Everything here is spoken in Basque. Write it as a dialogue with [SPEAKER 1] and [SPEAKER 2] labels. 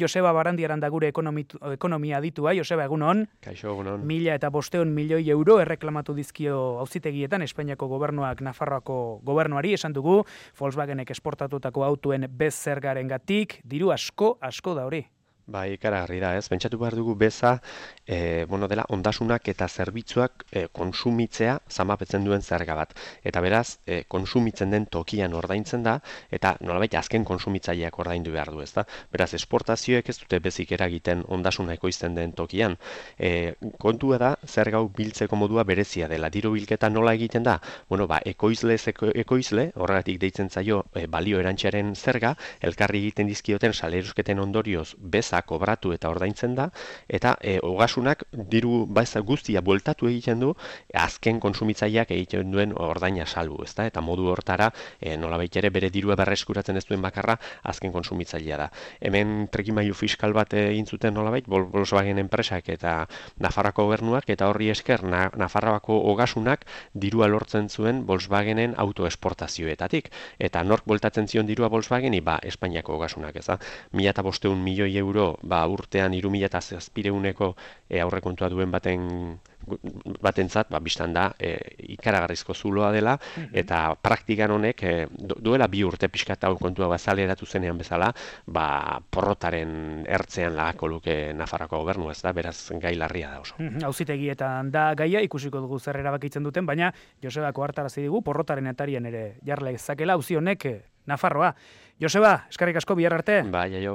[SPEAKER 1] Joseba Barandiaran da gure ekonomia aditua. Joseba, egunon.
[SPEAKER 2] Kaixo, egunon.
[SPEAKER 1] 1.500 milioi euro erreklamatu dizkio auzitegietan Espainiako gobernuak Nafarroako gobernuari, esan dugu Volkswagenek esportatutako autoen bez-zergarengatik, diru asko da hori.
[SPEAKER 2] Bai, ikaragarri da, ez? Pentsatu behar dugu beza, dela ondasunak eta zerbitzuak konsumitzea zamapetzen duen zerga bat. Eta beraz, konsumitzen den tokian ordaintzen da, eta nolabait azken konsumitzaileak ordaindu behar du, ez da? Beraz, esportazioek ez dute bezik eragiten ondasuna ekoizten den tokian. Kontua da, zerga hau biltzeko modua berezia dela. Diru bilketa nola egiten da? Ekoizle, horregatik deitzen zaio balio erantziaren zerga, elkarri egiten dizkioten salerosketen ondorioz beza kobratu eta ordaintzen da, eta ogasunak diru baza guztia bueltatu egiten du, azken konsumitzaileak egiten duen ordaina salbu, ezta? Eta modu hortara, nolabait ere bere dirua berreskuratzen ez duen bakarra, azken konsumitzailea da. Hemen trikimailu fiskal bat egin zuten nolabait, Volkswagen enpresak eta Nafarroako gobernuak, eta horri esker Nafarroako ogasunak dirua lortzen zuen Volkswagenen autoesportazioetatik. Eta nork bueltatzen zion dirua Volkswageni? Espainiako ogasunak, ez da? 1.500 milioi euro urtean 3.700 aurrekontua duen batentzat, bistan da ikaragarrizko zuloa dela, eta praktikan honek duela 2 urte pixkat hau kontua bazaleratu zenean bezala, porrotaren ertzean lagako luke Nafarroako gobernu, ez da, beraz gai larria da oso.
[SPEAKER 1] Auzitegietan da gaia, ikusiko dugu zer erabakitzen duten, baina Josebako hartarazi digu porrotaren atarian ere jarla ezakela auzi honek Nafarroa. Joseba, eskerrik asko, bihar arte.
[SPEAKER 2] Bai, aio.